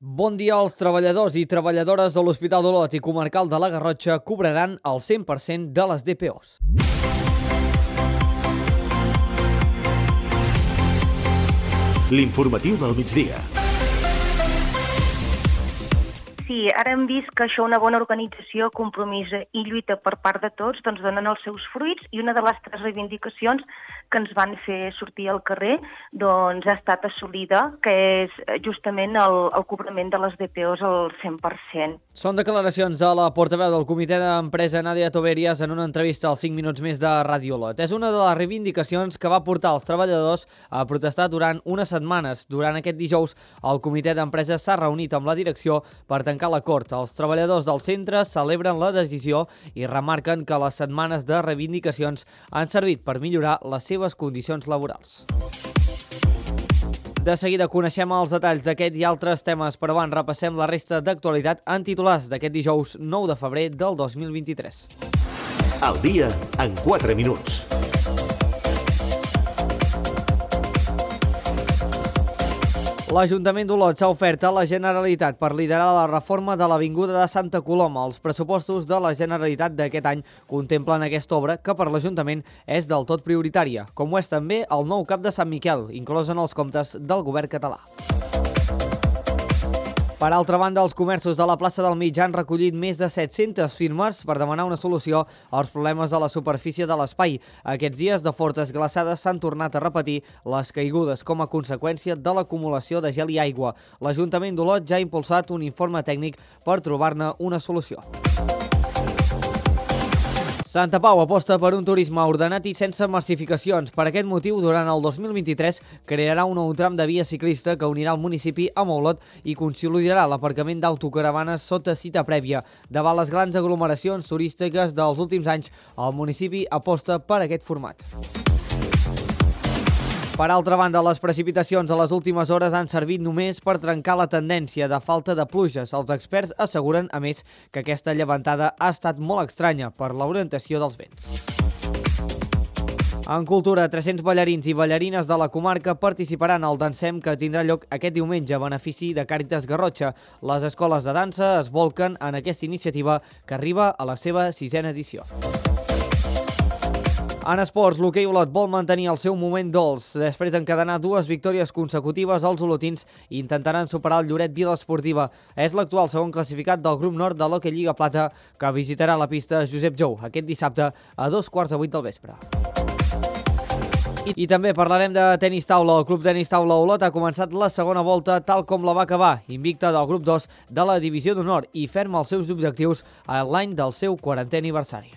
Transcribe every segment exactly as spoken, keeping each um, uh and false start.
Bon dia. Els treballadors i treballadores de l'Hospital d'Olot i Comarcal de la Garrotxa cobraran el cent per cent de les D P Os. L'informatiu del migdia. Sí, ara hem vist que això, una bona organització, compromís i lluita per part de tots, doncs donen els seus fruits, i una de les tres reivindicacions que ens van fer sortir al carrer doncs ha estat assolida, que és justament el, el cobrament de les D P Os al cent per cent. Són declaracions de la portaveu del comitè d'empresa, Nàdia Toberias, en una entrevista als cinc minuts més de Ràdio Olot. És una de les reivindicacions que va portar els treballadors a protestar durant unes setmanes. Durant aquest dijous, el comitè d'empresa s'ha reunit amb la direcció per tancar l'acord. Els treballadors del centre celebren la decisió i remarquen que les setmanes de reivindicacions han servit per millorar les seves condicions laborals. De seguida coneixem els detalls d'aquest i altres temes, però abans repassem la resta d'actualitat en titulars d'aquest dijous nou de febrer del dos mil vint-i-tres. Al dia en quatre minuts. L'Ajuntament d'Olot s'ha ofert a la Generalitat per liderar la reforma de l'Avinguda de Santa Coloma. Els pressupostos de la Generalitat d'aquest any contemplen aquesta obra, que per l'Ajuntament és del tot prioritària, com ho és també el nou cap de Sant Miquel, inclòs en els comptes del govern català. Per altra banda, els comerços de la plaça del Mig han recollit més de set-centes firmes per demanar una solució als problemes de la superfície de l'espai. Aquests dies de fortes glaçades s'han tornat a repetir les caigudes com a conseqüència de l'acumulació de gel i aigua. L'Ajuntament d'Olot ja ha impulsat un informe tècnic per trobar-ne una solució. Santa Pau aposta per un turisme ordenat i sense massificacions. Per aquest motiu, durant el dos mil vint-i-tres, crearà un nou tram de via ciclista que unirà el municipi amb Olot i consolidarà l'aparcament d'autocaravanes sota cita prèvia. Davant les grans aglomeracions turístiques dels últims anys, el municipi aposta per aquest format. Per altra banda, les precipitacions de les últimes hores han servit només per trencar la tendència de falta de pluges. Els experts asseguren, a més, que aquesta llevantada ha estat molt estranya per l'orientació dels vents. En cultura, tres-cents ballarins i ballarines de la comarca participaran al Dansem, que tindrà lloc aquest diumenge a benefici de Càritas Garrotxa. Les escoles de dansa es volquen en aquesta iniciativa, que arriba a la seva sisena edició. En esports, l'hoquei Olot vol mantenir el seu moment dolç. Després d'encadenar dues victòries consecutives, els olotins intentaran superar el Lloret Vila Esportiva. És l'actual segon classificat del grup nord de l'Hoquei Lliga Plata, que visitarà la pista Josep Jou aquest dissabte a dos quarts de vuit del vespre. I, I també parlarem de tenis taula. El Club Tenis Taula Olot ha començat la segona volta tal com la va acabar, invicta del grup dos de la Divisió d'Honor i ferma els seus objectius a l'any del seu quarantè aniversari.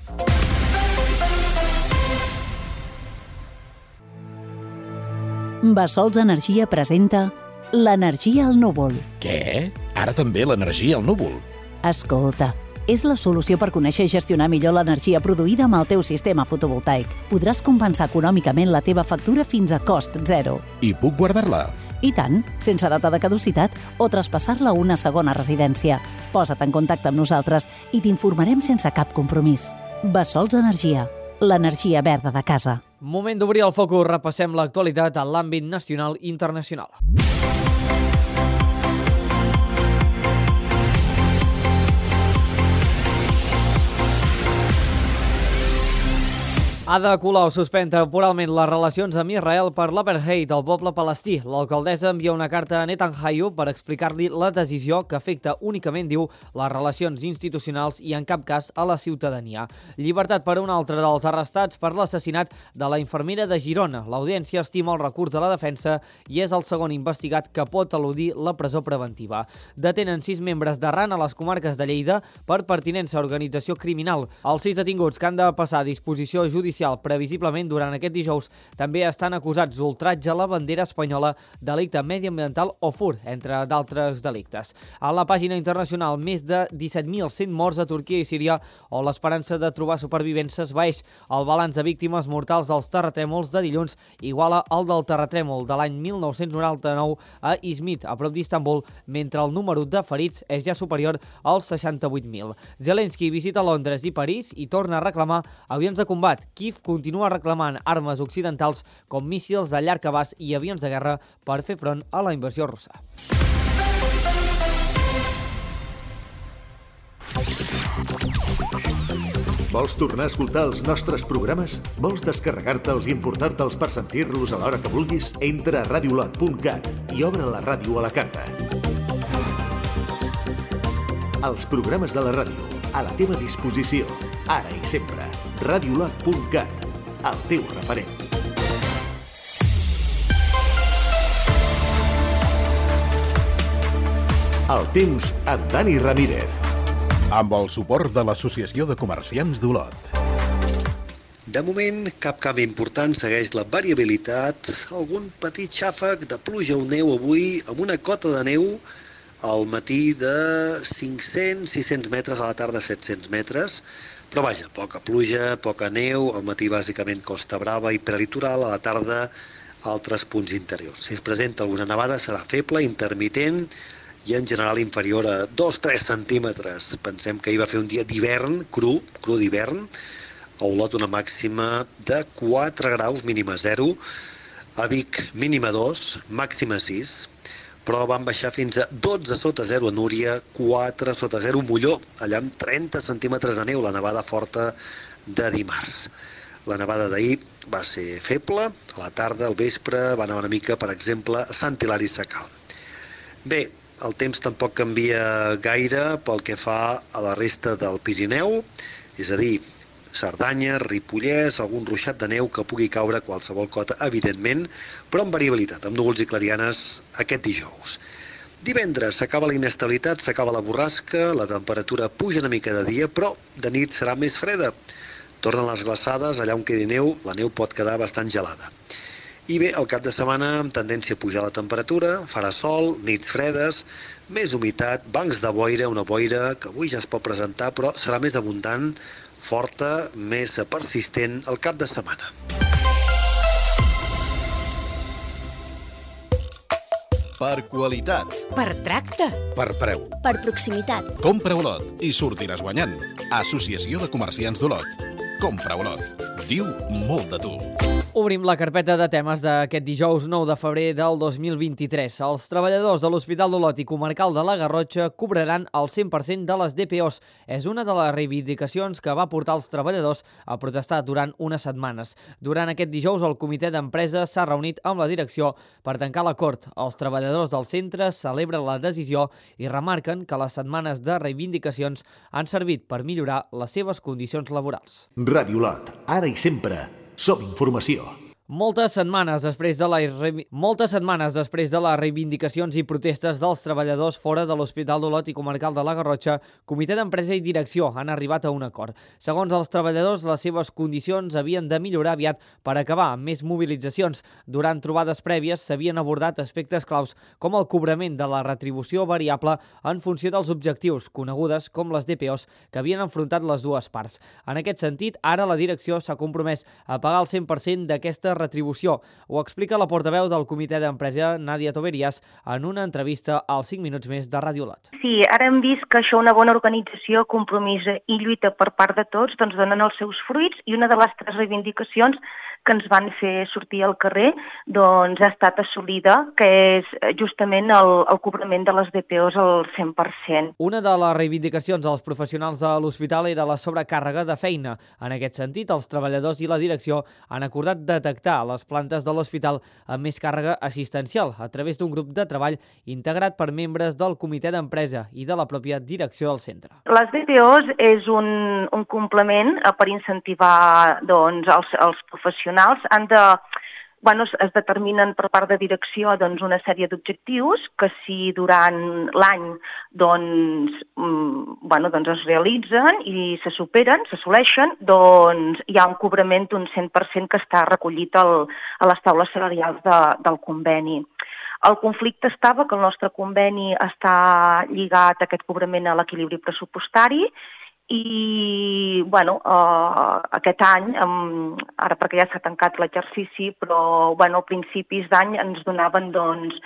Bassols Energia presenta l'energia al núvol. Què? Ara també l'energia al núvol? Escolta, és la solució per conèixer i gestionar millor l'energia produïda amb el teu sistema fotovoltaic. Podràs compensar econòmicament la teva factura fins a cost zero. I puc guardar-la? I tant, sense data de caducitat o traspassar-la a una segona residència. Posa't en contacte amb nosaltres i t'informarem sense cap compromís. Bassols Energia, l'energia verda de casa. Moment d'obrir el focus, repassem l'actualitat en l'àmbit nacional i internacional. Ada Colau suspèn temporalment les relacions amb Israel per l'apartheid del poble palestí. L'alcaldessa envia una carta a Netanyahu per explicar-li la decisió que afecta únicament, diu, les relacions institucionals i en cap cas a la ciutadania. Llibertat per un altre dels arrestats per l'assassinat de la infermera de Girona. L'audiència estima el recurs de la defensa i és el segon investigat que pot eludir la presó preventiva. Detenen sis membres d'Arran a les comarques de Lleida per pertinença a organització criminal. Els sis detinguts que han de passar a disposició judicial previsiblement durant aquest dijous també estan acusats d'ultratge a la bandera espanyola, delicte mediambiental o furt, entre d'altres delictes. A la pàgina internacional, més de disset mil cent morts a Turquia i Síria, on l'esperança de trobar supervivents s'esvaeix. El balanç de víctimes mortals dels terratrèmols de dilluns iguala el del terratrèmol de l'any mil nou-cents noranta-nou a Izmit, a prop d'Istanbul, mentre el número de ferits és ja superior als seixanta-vuit mil. Zelensky visita Londres i París i torna a reclamar avions de combat. Kiev continua reclamant armes occidentals com míssils de llarg abast i avions de guerra per fer front a la invasió russa. Vols tornar a escoltar els nostres programes? Vols descarregar-te'ls i importar-te'ls per sentir-los a l'hora que vulguis? Entra a radiolot punt cat i obre la ràdio a la carta. Els programes de la ràdio, a la teva disposició, ara i sempre. radiolot punt cat, el teu referent. El temps amb Dani Ramírez. Amb el suport de l'Associació de Comerciants d'Olot. De moment, cap canvi important, segueix la variabilitat, algun petit xàfec de pluja o neu avui, amb una cota de neu al matí de cinc-cents a sis-cents metres, a la tarda set-cents metres, però vaja, poca pluja, poca neu, al matí bàsicament Costa Brava i prelitoral, a la tarda altres punts interiors. Si es presenta alguna nevada serà feble, intermitent, i en general inferior a dos a tres centímetres. Pensem que hi va fer un dia d'hivern, cru, cru d'hivern, a Olot una màxima de quatre graus, mínima zero, a Vic mínima dos, màxima sis, però van baixar fins a dotze sota zero a Núria, quatre sota zero a Molló, allà amb trenta centímetres de neu, la nevada forta de dimarts. La nevada d'ahir va ser feble, a la tarda, al vespre, va anar una mica, per exemple, a Sant Hilari Sacalm. Bé, el temps tampoc canvia gaire pel que fa a la resta del Pirineu, és a dir, Cerdanya, Ripollès, algun ruixat de neu que pugui caure a qualsevol cota, evidentment, però amb variabilitat, amb núvols i clarianes aquest dijous. Divendres s'acaba la inestabilitat, s'acaba la borrasca, la temperatura puja una mica de dia, però de nit serà més freda. Tornen les glaçades, allà on quedi neu, la neu pot quedar bastant gelada. I bé, el cap de setmana amb tendència a pujar la temperatura, farà sol, nits fredes, més humitat, bancs de boira, una boira que avui ja es pot presentar, però serà més abundant, forta, més persistent el cap de setmana. Per qualitat. Per tracte. Per preu. Per proximitat. Compra Olot i sortiràs guanyant. Associació de Comerciants d'Olot. Compra Olot. Diu molt de tu. Obrim la carpeta de temes d'aquest dijous nou de febrer del dos mil vint-i-tres. Els treballadors de l'Hospital d'Olot i Comarcal de la Garrotxa cobraran el cent per cent de les D P Os. És una de les reivindicacions que va portar els treballadors a protestar durant unes setmanes. Durant aquest dijous, el comitè d'empresa s'ha reunit amb la direcció per tancar l'acord. Els treballadors del centre celebren la decisió i remarquen que les setmanes de reivindicacions han servit per millorar les seves condicions laborals. Ràdio Olot, ara i sempre. Som informació. Moltes setmanes després de la moltes setmanes després de les reivindicacions i protestes dels treballadors fora de l'Hospital d'Olot i Comarcal de la Garrotxa, comitè d'empresa i direcció han arribat a un acord. Segons els treballadors, les seves condicions havien de millorar aviat per acabar amb més mobilitzacions. Durant trobades prèvies s'havien abordat aspectes claus com el cobrament de la retribució variable en funció dels objectius, conegudes com les D P Os, que havien enfrontat les dues parts. En aquest sentit, ara la direcció s'ha compromès a pagar el cent per cent d'aquesta retribució. Ho explica la portaveu del comitè d'empresa, Nàdia Toverías, en una entrevista als cinc minuts més de Ràdio Olot. Sí, ara hem vist que això, una bona organització, compromís i lluita per part de tots, doncs donen els seus fruits, i una de les tres reivindicacions que ens van fer sortir al carrer doncs ha estat assolida, que és justament el, el cobrament de les D P Os al cent per cent. Una de les reivindicacions dels professionals de l'hospital era la sobrecàrrega de feina. En aquest sentit, els treballadors i la direcció han acordat detectar les plantes de l'hospital amb més càrrega assistencial a través d'un grup de treball integrat per membres del comitè d'empresa i de la pròpia direcció del centre. Les D P Os és un, un complement per incentivar doncs, els, els professionals. Han de, bueno, es determinen per part de direcció doncs, una sèrie d'objectius que si durant l'any doncs, bueno, doncs es realitzen i se superen, s'assoleixen, doncs hi ha un cobrament d'un cent per cent que està recollit al, a les taules salarials de, del conveni. El conflicte estava que el nostre conveni està lligat a aquest cobrament a l'equilibri pressupostari i bueno, uh, aquest any, um, ara perquè ja s'ha tancat l'exercici, però bueno, a principis d'any ens donaven doncs,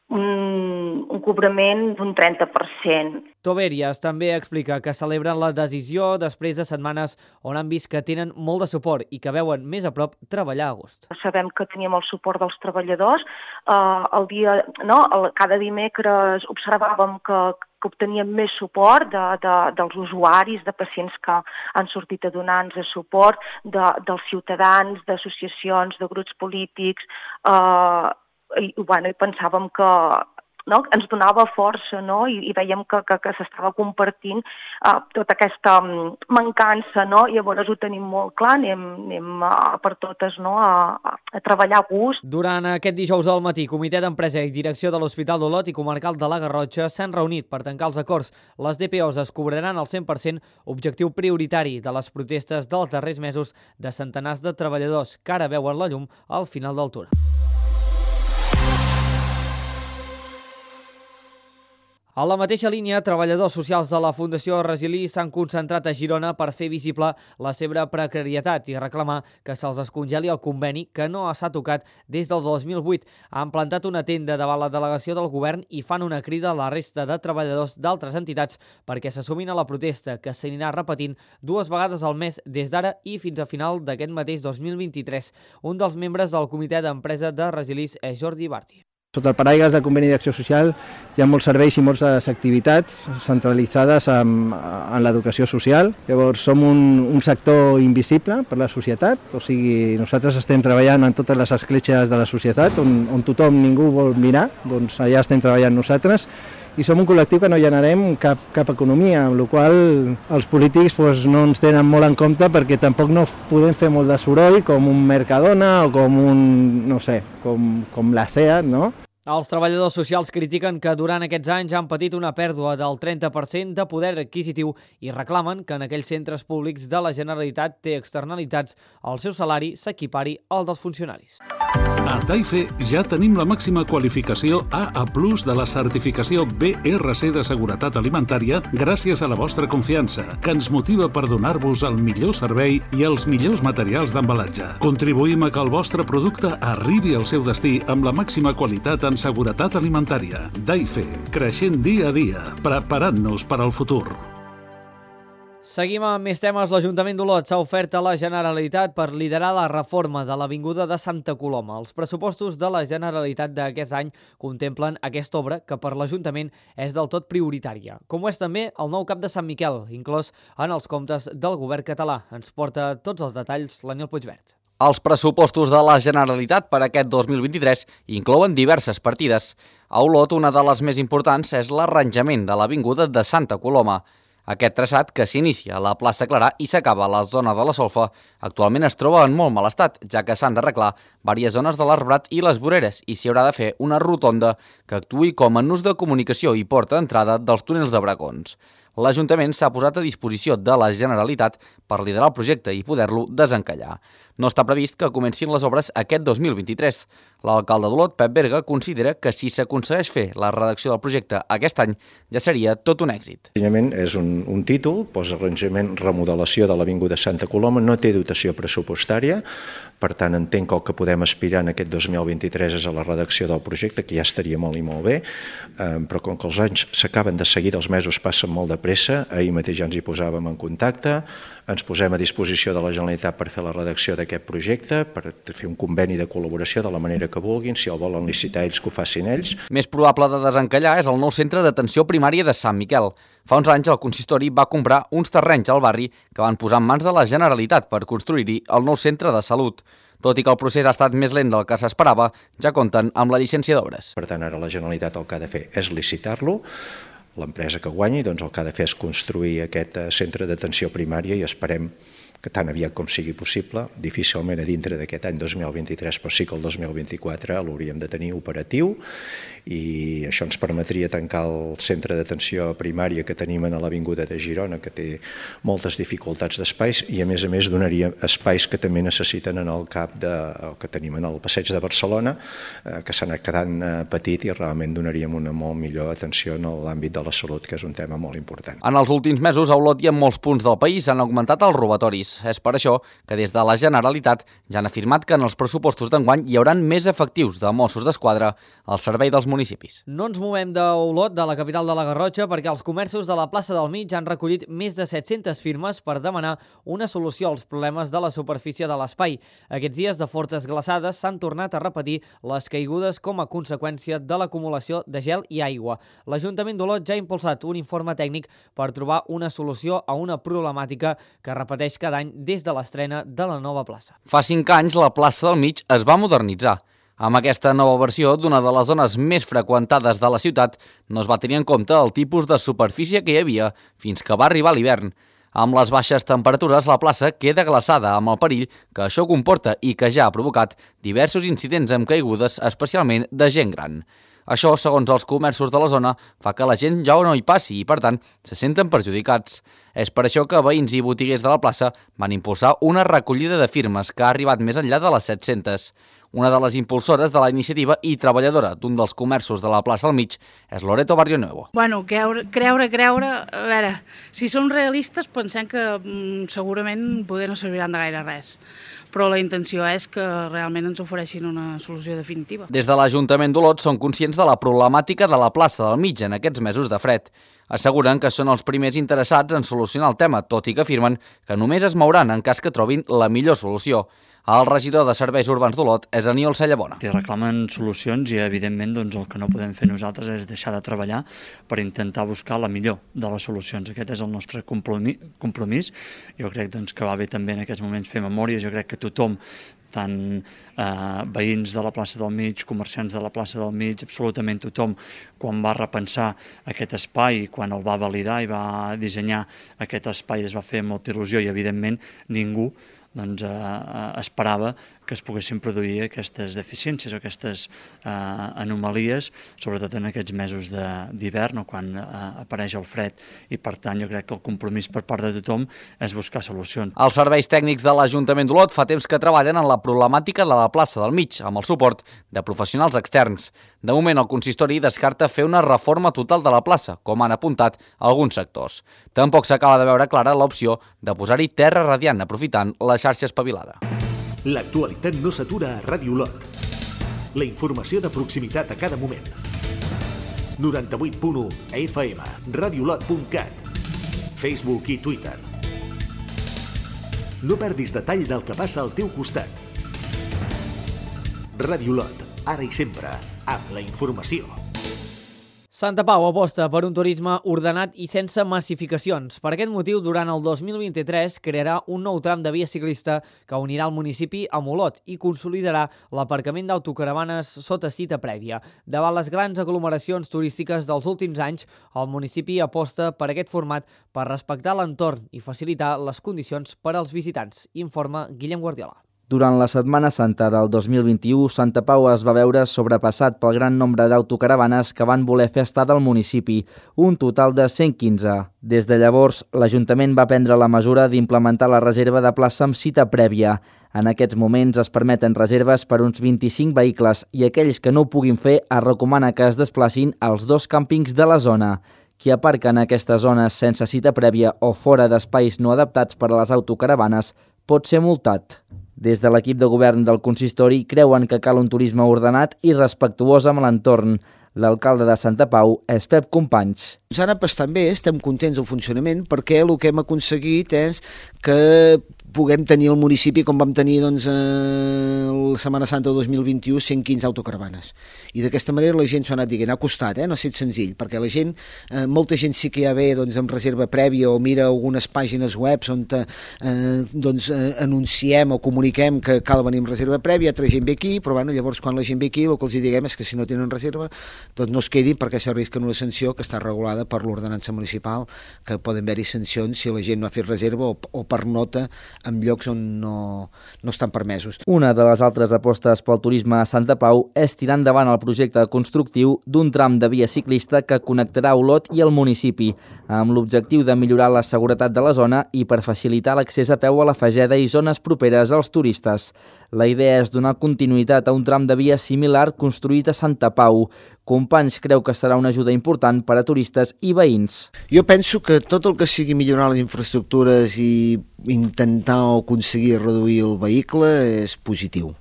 un, un cobrament d'un trenta per cent. Toberias també explica que celebren la decisió després de setmanes on han vist que tenen molt de suport i que veuen més a prop treballar a gust. Sabem que teníem el suport dels treballadors. Uh, el dia, no, el, cada dimecres observàvem que, que obteníem més suport de, de, dels usuaris, de pacients que han sortit a donar-nos suport, de, dels ciutadans, d'associacions, de grups polítics. Uh, i, bueno, i pensàvem que no, ens donava força, no? I, i veiem que, que, que s'estava compartint uh, tota aquesta um, mancança, no? I llavors ho tenim molt clar, anem, anem uh, per totes, no? a, a treballar a gust. Durant aquest dijous al matí, Comitè d'Empresa i Direcció de l'Hospital d'Olot i Comarcal de la Garrotxa s'han reunit per tancar els acords. Les D P Os es cobraran al cent per cent, objectiu prioritari de les protestes dels darrers mesos de centenars de treballadors que ara veuen la llum al final del túnel. A la mateixa línia, treballadors socials de la Fundació Resilí s'han concentrat a Girona per fer visible la seva precarietat i reclamar que se'ls descongeli el conveni que no s'ha tocat des del dos mil vuit. Han plantat una tenda davant la delegació del govern i fan una crida a la resta de treballadors d'altres entitats perquè s'assumin a la protesta que s'anirà repetint dues vegades al mes des d'ara i fins a final d'aquest mateix dos mil vint-i-tres. Un dels membres del Comitè d'Empresa de Resilís és Jordi Barti. Sota el paraigües del conveni d'acció social hi ha molts serveis i moltes activitats centralitzades en, en l'educació social. Llavors som un, un sector invisible per la societat, o sigui, nosaltres estem treballant en totes les escletxes de la societat on, on tothom, ningú vol mirar, doncs allà estem treballant nosaltres i som un col·lectiu que no generem cap, cap economia, amb la qual els polítics doncs, no ens tenen molt en compte perquè tampoc no podem fer molt de soroll com un Mercadona o com un, no sé, com, com la SEAT, no? Els treballadors socials critiquen que durant aquests anys han patit una pèrdua del trenta per cent de poder adquisitiu i reclamen que en aquells centres públics de la Generalitat té externalitzats el seu salari s'equipari al dels funcionaris. A Taife ja tenim la màxima qualificació A A plus de la certificació B R C de Seguretat Alimentària gràcies a la vostra confiança, que ens motiva per donar-vos el millor servei i els millors materials d'embalatge. Contribuïm a que el vostre producte arribi al seu destí amb la màxima qualitat en seguretat alimentària. Taife, creixent dia a dia, preparant-nos per al futur. Seguim amb més temes. L'Ajuntament d'Olot s'ha ofert a la Generalitat per liderar la reforma de l'Avinguda de Santa Coloma. Els pressupostos de la Generalitat d'aquest any contemplen aquesta obra que per l'Ajuntament és del tot prioritària, com ho és també el nou cap de Sant Miquel, inclòs en els comptes del govern català. Ens porta tots els detalls l'Aniol Puigvert. Els pressupostos de la Generalitat per aquest dos mil vint-i-tres inclouen diverses partides. A Olot, una de les més importants és l'arranjament de l'Avinguda de Santa Coloma. Aquest traçat, que s'inicia a la plaça Clarà i s'acaba a la zona de la Solfa, actualment es troba en molt mal estat, ja que s'han d'arreglar diverses zones de l'arbrat i les voreres i s'hi haurà de fer una rotonda que actuï com a nus de comunicació i porta d'entrada dels túnels de Bracons. L'Ajuntament s'ha posat a disposició de la Generalitat per liderar el projecte i poder-lo desencallar. No està previst que comencin les obres aquest dos mil vint-i-tres. L'alcalde d'Olot, Pep Berga, considera que si s'aconsegueix fer la redacció del projecte aquest any ja seria tot un èxit. L'arranjament és un, un títol, posa arranjament remodelació de l'Avinguda Santa Coloma, no té dotació pressupostària, per tant entenc que el que podem aspirar en aquest dos mil vint-i-tres és a la redacció del projecte, que ja estaria molt i molt bé, eh, però com que els anys s'acaben de seguir, els mesos passen molt de pressa, ahir mateix ja ens hi posàvem en contacte, ens posem a disposició de la Generalitat per fer la redacció d'aquest projecte, per fer un conveni de col·laboració de la manera que vulguin, si el volen licitar ells, que ho facin ells. Més probable de desencallar és el nou centre d'atenció primària de Sant Miquel. Fa uns anys el consistori va comprar uns terrenys al barri que van posar en mans de la Generalitat per construir-hi el nou centre de salut. Tot i que el procés ha estat més lent del que s'esperava, ja compten amb la llicència d'obres. Per tant, ara la Generalitat el que ha de fer és licitar-lo. L'empresa que guanyi doncs, el que ha de fer és construir aquest centre d'atenció primària i esperem que tan aviat com sigui possible, difícilment a dintre d'aquest any dos mil vint-i-tres, però sí que el dos mil vint-i-quatre l'hauríem de tenir operatiu i això ens permetria tancar el centre d'atenció primària que tenim a l'Avinguda de Girona, que té moltes dificultats d'espais i a més a més donaria espais que també necessiten en el cap de, que tenim en el passeig de Barcelona, eh, que s'ha anat quedant eh, petit i realment donaríem una molt millor atenció en l'àmbit de la salut, que és un tema molt important. En els últims mesos a Olot i en molts punts del país han augmentat els robatoris. Tots. És per això que des de la Generalitat ja han afirmat que en els pressupostos d'enguany hi hauran més efectius de Mossos d'Esquadra al servei dels municipis. No ens movem d'Olot, de la capital de la Garrotxa, perquè els comerços de la plaça del Mig han recollit més de set-centes firmes per demanar una solució als problemes de la superfície de l'espai. Aquests dies de fortes glaçades s'han tornat a repetir les caigudes com a conseqüència de l'acumulació de gel i aigua. L'Ajuntament d'Olot ja ha impulsat un informe tècnic per trobar una solució a una problemàtica que repeteix cada any des de l'estrena de la nova plaça. Fa cinc anys la plaça del Mig es va modernitzar. Amb aquesta nova versió d'una de les zones més freqüentades de la ciutat no es va tenir en compte el tipus de superfície que hi havia fins que va arribar l'hivern. Amb les baixes temperatures, la plaça queda glaçada amb el perill que això comporta i que ja ha provocat diversos incidents amb caigudes, especialment de gent gran. Això, segons els comerços de la zona, fa que la gent ja no hi passi i, per tant, se senten perjudicats. És per això que veïns i botiguers de la plaça van impulsar una recollida de firmes que ha arribat més enllà de les set-centes. Una de les impulsores de la iniciativa i treballadora d'un dels comerços de la plaça al Mig és Loreto Barrio Nuevo. Bueno, creure, creure, creure... A veure, si som realistes pensem que mm, segurament poder no serviran de gaire res, però la intenció és que realment ens ofereixin una solució definitiva. Des de l'Ajuntament d'Olot són conscients de la problemàtica de la plaça del Mig en aquests mesos de fred. Asseguren que són els primers interessats en solucionar el tema, tot i que afirmen que només es mouran en cas que trobin la millor solució. El regidor de Serveis Urbans d'Olot és Aniol Cellabona. Si reclamen solucions i, evidentment, doncs, el que no podem fer nosaltres és deixar de treballar per intentar buscar la millor de les solucions. Aquest és el nostre compromís. Jo crec doncs, que va bé també en aquests moments fer memòria. Jo crec que tothom, tant eh, veïns de la plaça del Mig, comerciants de la plaça del Mig, absolutament tothom, quan va repensar aquest espai, quan el va validar i va dissenyar aquest espai, es va fer amb molta il·lusió i, evidentment, ningú doncs, eh, esperava que es poguessin produir aquestes deficiències o aquestes eh, anomalies, sobretot en aquests mesos d'hivern o quan eh, apareix el fred, i per tant jo crec que el compromís per part de tothom és buscar solucions. Els serveis tècnics de l'Ajuntament d'Olot fa temps que treballen en la problemàtica de la plaça del Mig, amb el suport de professionals externs. De moment, el consistori descarta fer una reforma total de la plaça, com han apuntat alguns sectors. Tampoc s'acaba de veure clara l'opció de posar-hi terra radiant aprofitant la xarxa espavilada. L'actualitat no s'atura a Ràdio Olot. La informació de proximitat a cada moment. noranta-vuit punt u a F M, radiolot punt cat, Facebook i Twitter. No perdis detall del que passa al teu costat. Ràdio Olot, ara i sempre, amb la informació. Santa Pau aposta per un turisme ordenat i sense massificacions. Per aquest motiu, durant el dos mil vint-i-tres crearà un nou tram de via ciclista que unirà el municipi amb Olot i consolidarà l'aparcament d'autocaravanes sota cita prèvia. Davant les grans aglomeracions turístiques dels últims anys, el municipi aposta per aquest format per respectar l'entorn i facilitar les condicions per als visitants, informa Guillem Guardiola. Durant la Setmana Santa del dos mil vint-i-u, Santa Pau es va veure sobrepassat pel gran nombre d'autocaravanes que van voler fer estada al municipi, un total de cent quinze. Des de llavors, l'Ajuntament va prendre la mesura d'implementar la reserva de plaça amb cita prèvia. En aquests moments es permeten reserves per uns vint-i-cinc vehicles i aquells que no ho puguin fer es recomana que es desplacin als dos càmpings de la zona. Qui aparca en aquestes zones sense cita prèvia o fora d'espais no adaptats per a les autocaravanes pot ser multat. Des de l'equip de govern del consistori creuen que cal un turisme ordenat i respectuós amb l'entorn. L'alcalde de Santa Pau és Pep Companys. Ens ha anat bastant bé, estem contents del funcionament perquè el que hem aconseguit és que puguem tenir el municipi com vam tenir doncs, eh, la Setmana Santa del dos mil vint-i-u cent quinze autocaravanes. I d'aquesta manera la gent s'ho ha anat dient, ha costat, eh? No ha estat senzill, perquè la gent, eh, molta gent sí que ja ve doncs, amb reserva prèvia o mira algunes pàgines webs on eh, doncs, eh, anunciem o comuniquem que cal venir amb reserva prèvia, altra gent ve aquí, però bueno, llavors quan la gent ve aquí el que els diguem és que si no tenen reserva doncs no es quedin perquè s'arrisquen una sanció que està regulada per l'ordenança municipal, que poden haver-hi sancions si la gent no ha fet reserva o, o per nota en llocs on no, no estan permesos. Una de les altres apostes pel turisme a Santa Pau és tirar endavant el projecte constructiu d'un tram de via ciclista que connectarà Olot i el municipi, amb l'objectiu de millorar la seguretat de la zona i per facilitar l'accés a peu a la Fageda i zones properes als turistes. La idea és donar continuïtat a un tram de via similar construït a Santa Pau. Companys creu que serà una ajuda important per a turistes i veïns. Jo penso que tot el que sigui millorar les infraestructures i intentar o aconseguir reduir el vehicle és positiu.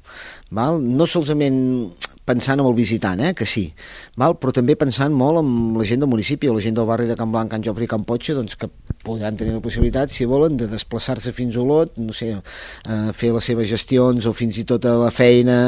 Val? No solament pensant en el visitant, eh, que sí, val? Però també pensant molt en la gent del municipi o la gent del barri de Can Blanc, Can Jofre i Can Potxa, doncs, que podran tenir la possibilitat, si volen, de desplaçar-se fins a Olot, no sé, a fer les seves gestions o fins i tot a la feina,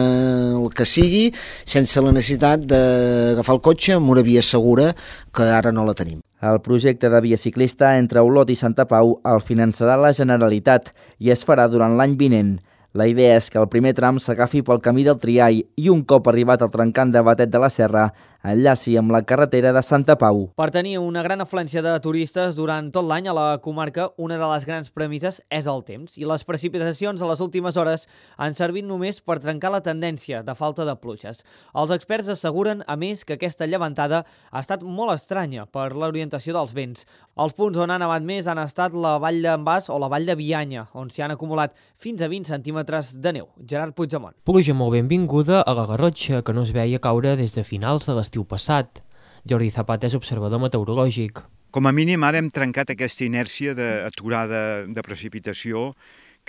el que sigui, sense la necessitat d'agafar el cotxe amb una via segura, que ara no la tenim. El projecte de via ciclista entre Olot i Santa Pau el finançarà la Generalitat i es farà durant l'any vinent. La idea és que el primer tram s'agafi pel camí del Triall i un cop arribat al trencant de Batet de la Serra, enllaci amb la carretera de Santa Pau. Per tenir una gran afluència de turistes durant tot l'any a la comarca, una de les grans premisses és el temps, i les precipitacions a les últimes hores han servit només per trencar la tendència de falta de pluges. Els experts asseguren, a més, que aquesta llevantada ha estat molt estranya per l'orientació dels vents. Els punts on han nevat més han estat la Vall d'en Bas o la Vall de Bianya, on s'hi han acumulat fins a vint centímetres de neu. Gerard Puigdemont. Pluja molt benvinguda a la Garrotxa, que no es veia caure des de finals de l'estiu passat. Jordi Zapata és observador meteorològic. Com a mínim ara hem trencat aquesta inèrcia d'aturada de precipitació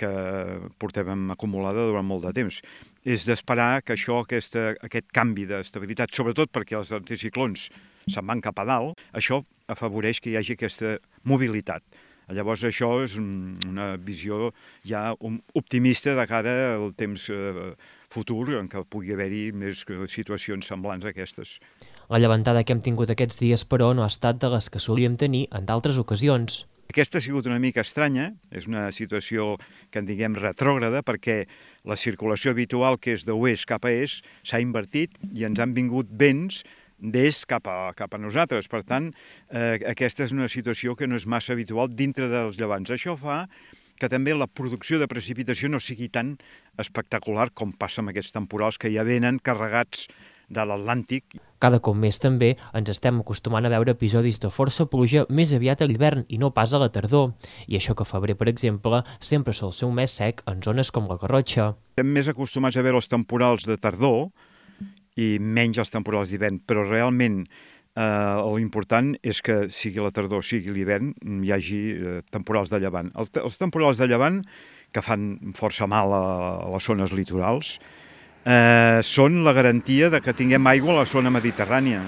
que portàvem acumulada durant molt de temps. És d'esperar que això, aquesta, aquest canvi d'estabilitat, sobretot perquè els anticiclons se'n van cap a dalt, això afavoreix que hi hagi aquesta mobilitat. Llavors això és una visió ja optimista de cara al temps futur en què pugui haver-hi més situacions semblants a aquestes. La llevantada que hem tingut aquests dies, però, no ha estat de les que solíem tenir en d'altres ocasions. Aquesta ha sigut una mica estranya, és una situació que en diguem retrògrada, perquè la circulació habitual, que és d'oest cap a est, s'ha invertit i ens han vingut vents d'est cap a, cap a nosaltres. Per tant, eh, aquesta és una situació que no és massa habitual dintre dels llevants. Això fa que també la producció de precipitació no sigui tan espectacular com passa amb aquests temporals que ja venen carregats de l'Atlàntic. Cada cop més també ens estem acostumant a veure episodis de força pluja més aviat a l'hivern i no pas a la tardor. I això que febrer, per exemple, sempre sol ser un mes sec en zones com la Garrotxa. Estem més acostumats a veure els temporals de tardor i menys els temporals d'hivern, però realment eh, l'important és que sigui la tardor, sigui l'hivern, hi hagi eh, temporals de llevant. El, els temporals de llevant, que fan força mal a, a les zones litorals, eh, són la garantia de que tinguem aigua a la zona mediterrània.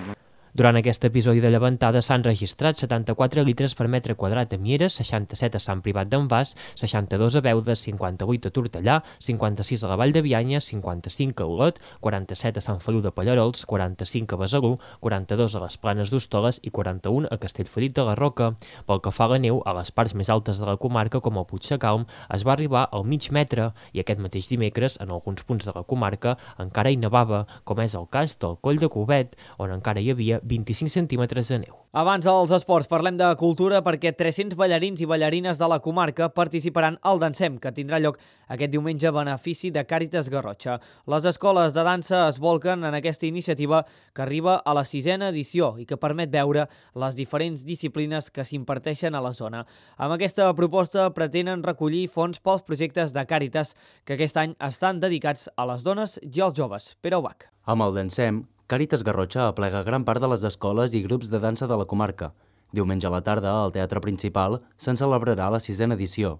Durant aquest episodi de llevantada s'han registrat setanta-quatre litres per metre quadrat a Mieres, seixanta-set a Sant Privat d'en Bas, seixanta-dos a Beuda, cinquanta-vuit a Tortellà, cinquanta-sis a la Vall de Bianya, cinquanta-cinc a Olot, quaranta-set a Sant Feliu de Pallerols, quaranta-cinc a Besalú, quaranta-dos a les Planes d'Hostoles i quaranta-un a Castellferic de la Roca. Pel que fa a la neu, a les parts més altes de la comarca, com el Puigdecalm, es va arribar al mig metre i aquest mateix dimecres, en alguns punts de la comarca, encara hi nevava, com és el cas del Coll de Covet, on encara hi havia vint-i-cinc centímetres de neu. Abans dels esports parlem de cultura perquè tres-cents ballarins i ballarines de la comarca participaran al Dansem, que tindrà lloc aquest diumenge a benefici de Càritas Garrotxa. Les escoles de dansa es volquen en aquesta iniciativa que arriba a la sisena edició i que permet veure les diferents disciplines que s'imparteixen a la zona. Amb aquesta proposta pretenen recollir fons pels projectes de Càritas que aquest any estan dedicats a les dones i als joves. Pere Ubach. Amb el Dansem, Càritas Garrotxa aplega gran part de les escoles i grups de dansa de la comarca. Diumenge a la tarda, al Teatre Principal, se'n celebrarà la sisena edició.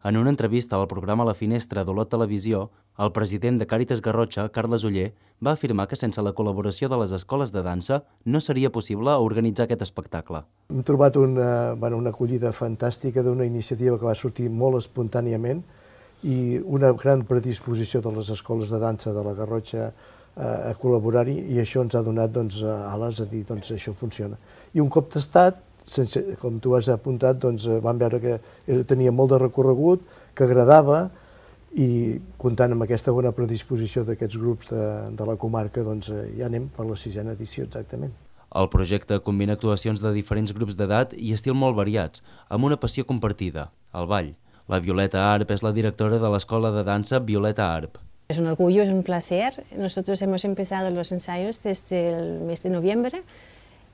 En una entrevista al programa La Finestra d'Olot Televisió, el president de Càritas Garrotxa, Carles Oller, va afirmar que sense la col·laboració de les escoles de dansa no seria possible organitzar aquest espectacle. Hem trobat una, bueno, una acollida fantàstica d'una iniciativa que va sortir molt espontàniament i una gran predisposició de les escoles de dansa de la Garrotxa a col·laborar-hi, i això ens ha donat doncs, ales a dir doncs, això funciona. I un cop tastat, sense, com tu has apuntat, doncs, vam veure que tenia molt de recorregut, que agradava, i comptant amb aquesta bona predisposició d'aquests grups de, de la comarca, doncs, ja anem per la sisena edició exactament. El projecte combina actuacions de diferents grups d'edat i estil molt variats, amb una passió compartida, el ball. La Violeta Arp és la directora de l'escola de dansa Violeta Arp. Es un orgullo, es un placer. Nosotros hemos empezado los ensayos desde el mes de noviembre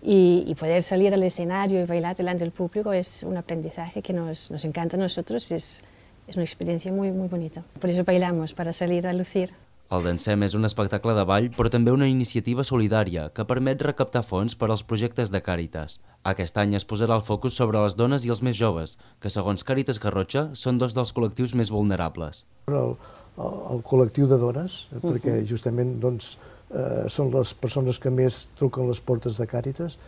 y, y poder salir al escenario y bailar delante del público es un aprendizaje que nos, nos encanta a nosotros. Es, es una experiencia muy, muy bonita. Por eso bailamos, para salir a lucir. El Dansem és un espectacle de ball, però també una iniciativa solidària que permet recaptar fons per als projectes de Càritas. Aquest any es posarà el focus sobre les dones i els més joves, que segons Càritas Garrotxa són dos dels col·lectius més vulnerables. El, el, el col·lectiu de dones, uh-huh. perquè justament doncs, eh, són les persones que més truquen les portes de Càritas,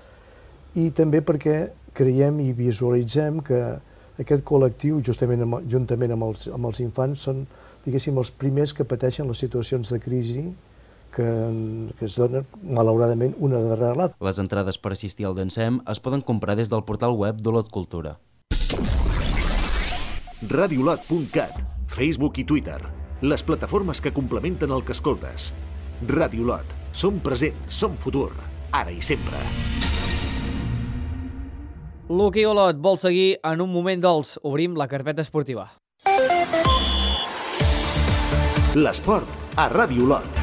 i també perquè creiem i visualitzem que aquest col·lectiu, justament amb, juntament amb els, amb els infants, són, diguéssim, els primers que pateixen les situacions de crisi que, que es donen, malauradament, una darrere l'altra. Les entrades per assistir al Dansem es poden comprar des del portal web d'Olot Cultura. radiolot punt cat, Facebook i Twitter, les plataformes que complementen el que escoltes. Radiolot, som present, som futur, ara i sempre. L'hoquei Olot vol seguir en un moment dolç. Obrim la carpeta esportiva. L'esport a Ràdio Olot.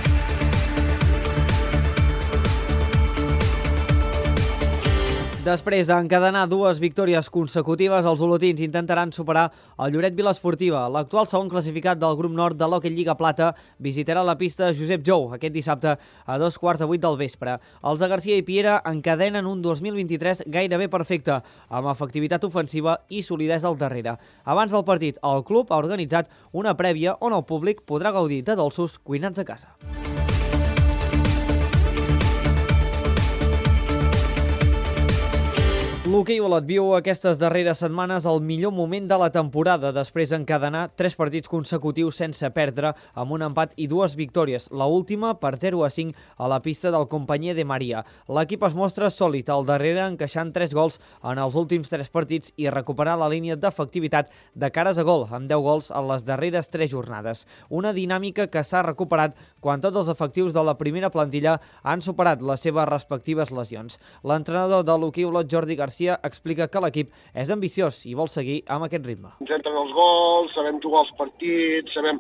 Després d'encadenar dues victòries consecutives, els olotins intentaran superar el Lloret Vilasportiva. L'actual segon classificat del grup nord de l'Hockey Lliga Plata visitarà la pista Josep Jou aquest dissabte a dos quarts de vuit del vespre. Els de Garcia i Piera encadenen un dos mil vint-i-tres gairebé perfecte, amb efectivitat ofensiva i solidesa al darrere. Abans del partit, el club ha organitzat una prèvia on el públic podrà gaudir de dolços cuinats a casa. L'hoquei Olot viu aquestes darreres setmanes el millor moment de la temporada, després d'encadenar tres partits consecutius sense perdre, amb un empat i dues victòries, la última per zero a cinc a la pista del Companyia de Maria. L'equip es mostra sòlid al darrere, encaixant tres gols en els últims tres partits i recuperar la línia d'efectivitat de cares a gol, amb deu gols en les darreres tres jornades. Una dinàmica que s'ha recuperat quan tots els efectius de la primera plantilla han superat les seves respectives lesions. L'entrenador de l'hoquei Olot, Jordi Garcia, explica que l'equip és ambiciós i vol seguir amb aquest ritme. Ens entren els gols, sabem jugar els partits, sabem,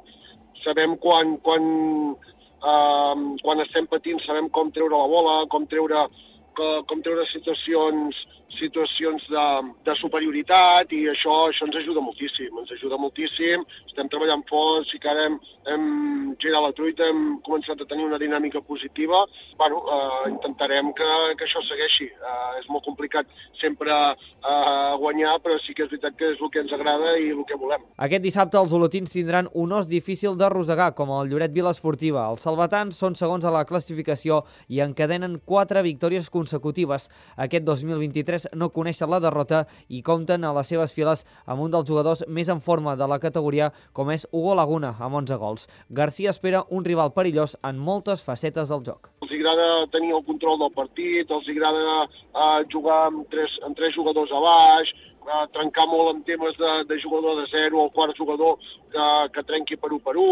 sabem quan, quan, eh, quan estem patint, sabem com treure la bola, com treure, com treure situacions, situacions de, de superioritat, i això, això ens ajuda moltíssim, ens ajuda moltíssim, estem treballant fort, sí que ara hem, hem girat la truita, hem començat a tenir una dinàmica positiva. Bueno, eh, intentarem que, que això segueixi. Eh, és molt complicat sempre eh, guanyar, però sí que és veritat que és el que ens agrada i el que volem. Aquest dissabte els olotins tindran un os difícil de rosegar, com el Lloret Vilasportiva. Els salvatans són segons a la classificació i encadenen quatre victòries consecutives. Aquest dos mil vint-i-tres no coneixen la derrota i compten a les seves files amb un dels jugadors més en forma de la categoria, com és Hugo Laguna, amb onze gols. Garcia espera un rival perillós en moltes facetes del joc. Els agrada tenir el control del partit, els agrada uh, jugar amb tres, amb tres jugadors a baix, uh, trencar molt en temes de, de jugador de zero, el quart jugador que, que trenqui per u per u.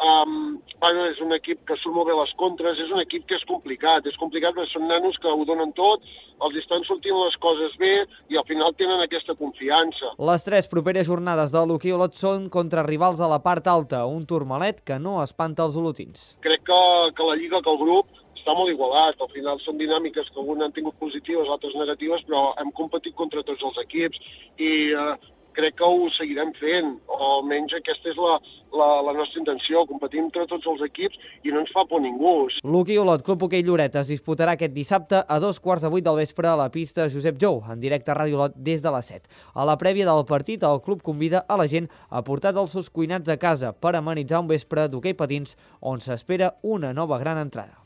Um, bueno, és un equip que surt molt bé les contres, és un equip que és complicat, és complicat perquè són nanos que ho donen tot, els estan sortint les coses bé i al final tenen aquesta confiança. Les tres properes jornades de l'hoquei Olot són contra rivals a la part alta, un Tourmalet que no espanta els olotins. Crec que, que la Lliga, que el grup, està molt igualat, al final són dinàmiques que alguns han tingut positives, altres negatives, però hem competit contra tots els equips i eh, crec que ho seguirem fent, o almenys aquesta és la, la, la nostra intenció, competir entre tots els equips i no ens fa por ningú. L'hoquei Olot Club Hoquei Lloret es disputarà aquest dissabte a dos quarts de vuit del vespre a la pista Josep Jou, en directe a Ràdio Olot des de les set. A la prèvia del partit, el club convida a la gent a portar dolços cuinats a casa per amenitzar un vespre d'hoquei patins on s'espera una nova gran entrada.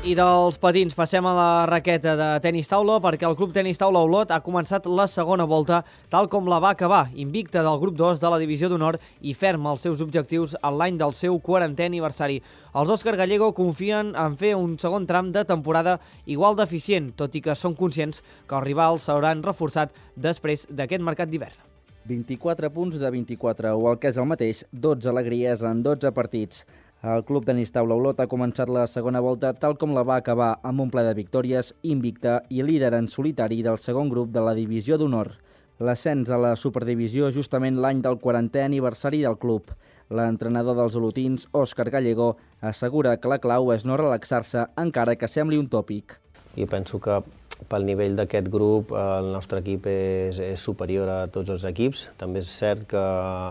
I dels patins passem a la raqueta de tenis taula, perquè el Club Tenis Taula Olot ha començat la segona volta tal com la va acabar, invicta del grup dos de la Divisió d'Honor i ferma els seus objectius en l'any del seu quarantè aniversari. Els Òscar Gallego confien en fer un segon tram de temporada igual d'eficient, tot i que són conscients que els rivals s'hauran reforçat després d'aquest mercat d'hivern. vint-i-quatre punts de vint-i-quatre, o el que és el mateix, dotze alegries en dotze partits. El Club Tenis Taula Olot ha començat la segona volta tal com la va acabar, amb un ple de victòries, invicta i líder en solitari del segon grup de la Divisió d'Honor. L'ascens a la Superdivisió justament l'any del quarantè aniversari del club. L'entrenador dels olotins, Òscar Gallego, assegura que la clau és no relaxar-se encara que sembli un tòpic. Jo penso que pel nivell d'aquest grup el nostre equip és, és superior a tots els equips. També és cert que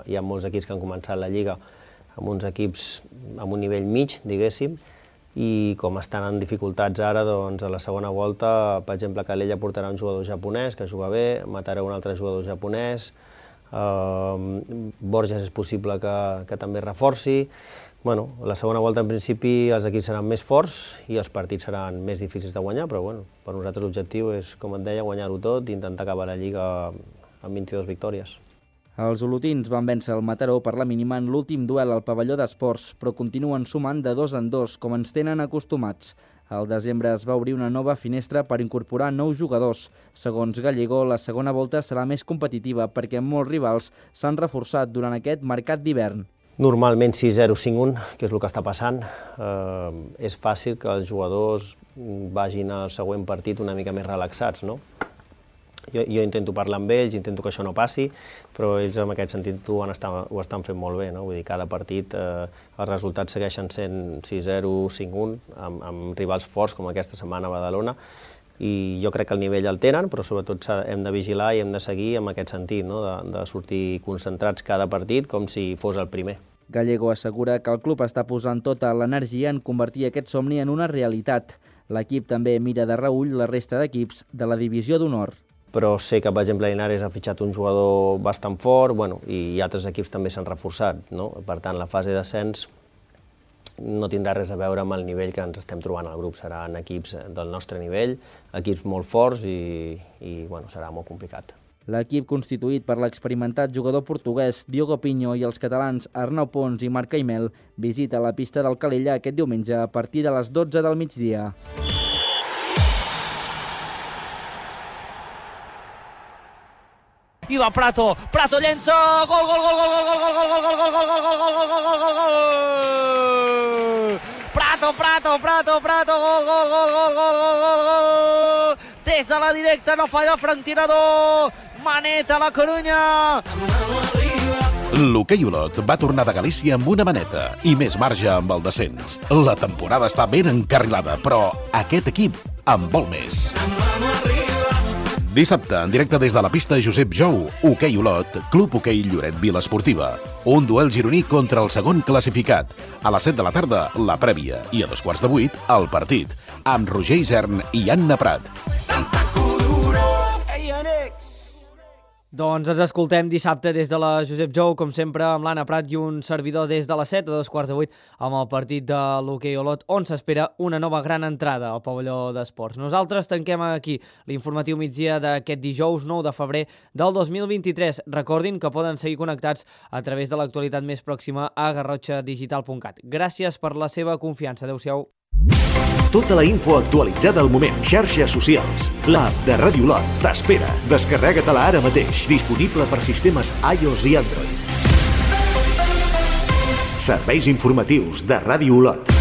hi ha molts equips que han començat la Lliga amb uns equips amb un nivell mig, diguéssim, i com estan en dificultats ara, doncs a la segona volta, per exemple, Calella portarà un jugador japonès que juga bé, Mataró un altre jugador japonès, eh, Borges és possible que, que també reforci. Bueno, la segona volta, en principi, els equips seran més forts i els partits seran més difícils de guanyar, però bueno, per nosaltres l'objectiu és, com et deia, guanyar-ho tot i intentar acabar la Lliga amb vint-i-dues victòries. Els olotins van vèncer el Mataró per la mínima en l'últim duel al pavelló d'esports, però continuen sumant de dos en dos, com ens tenen acostumats. Al desembre es va obrir una nova finestra per incorporar nous jugadors. Segons Gallego, la segona volta serà més competitiva perquè molts rivals s'han reforçat durant aquest mercat d'hivern. Normalment sis zero cinc un, que és el que està passant. Eh, és fàcil que els jugadors vagin al següent partit una mica més relaxats, no? Jo, jo intento parlar amb ells, intento que això no passi, però ells en aquest sentit ho, estan, ho estan fent molt bé, no? Vull dir, cada partit eh, els resultats segueixen sent sis zero cinc un, amb, amb rivals forts com aquesta setmana a Badalona, i jo crec que el nivell el tenen, però sobretot hem de vigilar i hem de seguir en aquest sentit, no? de, de sortir concentrats cada partit com si fos el primer. Gallego assegura que el club està posant tota l'energia en convertir aquest somni en una realitat. L'equip també mira de reüll la resta d'equips de la divisió d'honor. Però sé que, per exemple, Linares ha fitxat un jugador bastant fort, bueno, i altres equips també s'han reforçat, no? Per tant, la fase d'ascens no tindrà res a veure amb el nivell que ens estem trobant al grup. Seran equips del nostre nivell, equips molt forts i, i bueno, serà molt complicat. L'equip constituït per l'experimentat jugador portuguès Diogo Pinho i els catalans Arnau Pons i Marc Caimel visita la pista del Calella aquest diumenge a partir de les dotze del migdia. I va Prato, Prato llença, gol, gol, gol, gol, gol, gol, gol, gol, gol, gol, gol, gol, gol, gol, gol, gol, Prato, Prato, Prato, Prato, gol, gol, gol, gol, gol, gol, gol, gol, des de la directa no falla Frank Tirador, maneta a la Corunya. L'hoquei Olot va tornar de Galícia amb una maneta i més marge amb el descens. La temporada està ben encarrilada, però aquest equip en vol més. Dissabte, en directe des de la pista Josep Jou, Hoquei Olot, Club Hoquei Lloret Vila Esportiva. Un duel gironí contra el segon classificat. A les set de la tarda, la prèvia, i a dos quarts de vuit, el partit, amb Roger Isern i Anna Prat. Doncs ens escoltem dissabte des de la Josep Jou, com sempre, amb l'Anna Prat i un servidor des de les set a dos quarts de vuit amb el partit de l'Hoquei Olot, on s'espera una nova gran entrada al pavelló d'esports. Nosaltres tanquem aquí l'informatiu migdia d'aquest dijous nou de febrer del dos mil vint-i-tres. Recordin que poden seguir connectats a través de l'actualitat més pròxima a garrotxa digital punt cat. Gràcies per la seva confiança. Adéu-siau. Tota la info actualitzada al moment. Xarxes socials. L'app de Ràdio Olot t'espera. Descarrega-te-la ara mateix. Disponible per sistemes iOS i Android. Serveis informatius de Ràdio Olot.